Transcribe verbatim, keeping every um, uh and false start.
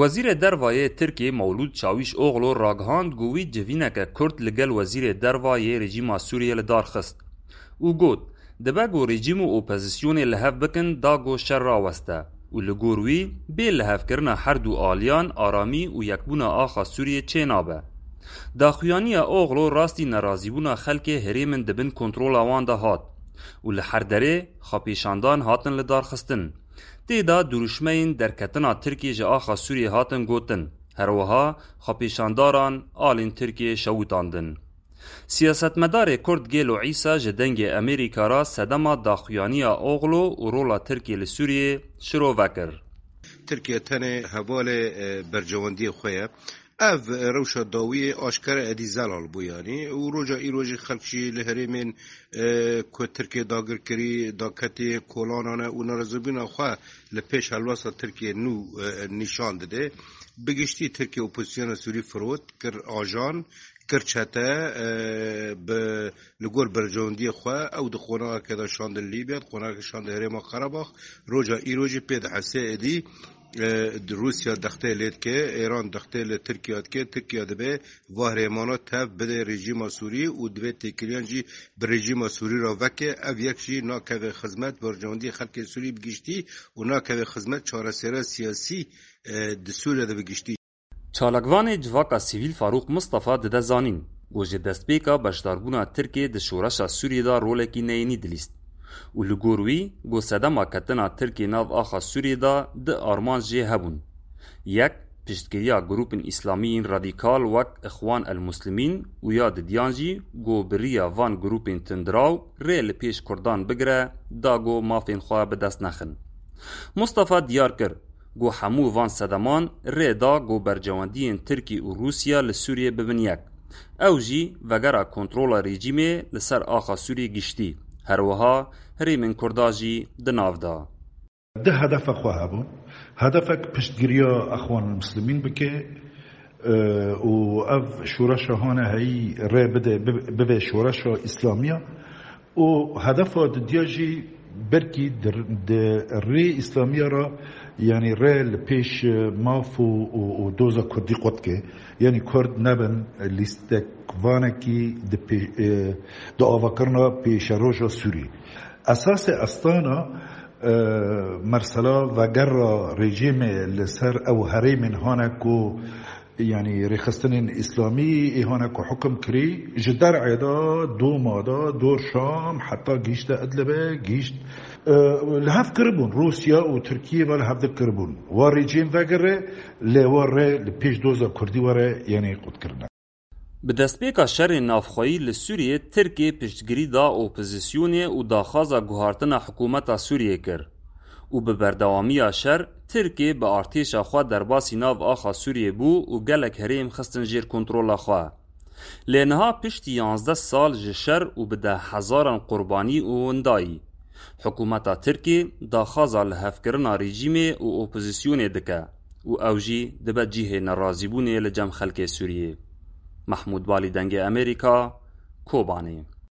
Wezîrê Derva yê Tirkiyê Mewlûd Çawîşoglu ragihand ku wî civîneke kurt li gel Wezîrê Derva yê rejîma Sûriyê li dar xist û got, dibe ku rejîm û opozisyonê li hev bikin da ku şer raweste û li gor wî bê lihevkirina her du aliyan aramî û yekbûna axa Sûriyê çênabe. Daxuyaniya Oglu rastî nerazîbûna xelkê herêmin di bin kontrola wan de hat û li her derê xwepêşandan hatin lidarxistin. Tê de dirûşmeyên derketina Tirkiyê ji axa Sûriyê hatin gotin. Her wiha xwepêşandaran alên Tirkiyê şewitandin. Siyasetmedarê Kurd Gêlo Îsa ji Dengê Amerîka re sedema daxuyaniya Oglu û rola Tirkiyê li Sûriyê şirove kir. Tirkiye tenê hevalê, e, bercewendiyê xwe ye. Ev, e, rewşa dawiyê aşkere êdî zelal bû yanî û roja îro jî xelk jî li herêmên, e, ku Tirkiye dagirkirî, daketiyên kolanan e û nerazîbûna xwe li pêş helwesta Tirkiye nû, e, nîşan dide. Bi giştî Tirkiye opozisyona Sûrî firot, kir ajan, kir çete, e, bi, li gor bercewendiyê xwe ew di qonaxeke de şandin Lîbya, di qonaxeke şandin Herêma Qerebax. Roja îro jî pê dihese êdî, e, di Rûsya dextê lê dike, Êran dextê li Tirkiya dike, Tirkiya dibe va herêmana tev bide rejîma Sûrî û divê têkiliyan jî bi rejîma Sûrî re veke, ev yek jî nakeve xizmet bercewendiyê xelkê Sûrî bi giştî û nakeve xizmet çareseriya siyasî, e, di Sûriye de bi giştî. Çalakvanê civaka sivîl Farûq Mistefa dide zanîn ku ji destpêka beşdarbûna Tirkiyê di şoreşa Sûriyê de rolekî neyênî dilîst û li gor wî ku sedema ketina Tirkiyê nav axa Sûriyê de du armanc jê hebûn. Yek, piştgiriya grûpên îslamî yên radîkal wek Ixwan el Muslimîn û ya didiyan jî ku bi riya van grûpên tundiraw rê li pêş Kurdan bigire da ku mafên xwe bi dest nexin. Mustafa diyar kir ku hemû van sedeman rê da ku bercewendiyên Tirkî û Rûsya li Sûriyê bibin yek. Ew jî vegera kontrola rejîmê li ser axa Sûriyê giştî, her wiha herêmên Kurda jî di nav de. Di hedefa xwe hebûn. Hedefek piştgiriya Exwanul Muslimîn bike, e, û ev şoreşa hane heyî rê bide, bi-, bibe şoreşa Îslamiya. Û hedefa didiya jî belkî di, di rê Îslamiya re, yanî rê li pêş, e, maf û, û, û doza Kurdî qut ke. Yanî Kurd nebin lîstekvanekî di pê-, e, di avakirina pêşeroja Sûrî. Esasê estana, e, mersela vegera rejîmê li ser ew herêmên hane ku, yanî rêxistinên îslamî ê hane ku hukum kirî, ji derê de, Doma de, dor Şam, heta gihîşte Idlibê, gihîşt, e, li hev kiribûn. Rûsya û Tirkiye ve li hevdî kiribûn. Wa rejîm vegere, lê wa rê li pêş doza Kurdî were, yanî qutkirine. Bi destpêka şerê navxweyî li Sûriyê Tirkiyê piştgirî da opozisyonê û daxwaza guhartina hikûmeta Sûriyê kir û bi berdewamiya şer Tirkiyê bi artêşa xwe derbasî nav axa Sûriyê bû û gelek herêm xistin jêr kontrola xwe. Lê niha piştî yanzdeh sal ji şer û bi dehhezaran qurbanî û windayî, hikûmeta Tirkiyê daxwaza lihevkirina rejîmê û opozisyonê dike û ew jî dibe cihê nerazîbûnê li cem xelkê Sûriyê. Mehmûd Balî, Dengê Amerîka, Kobanê.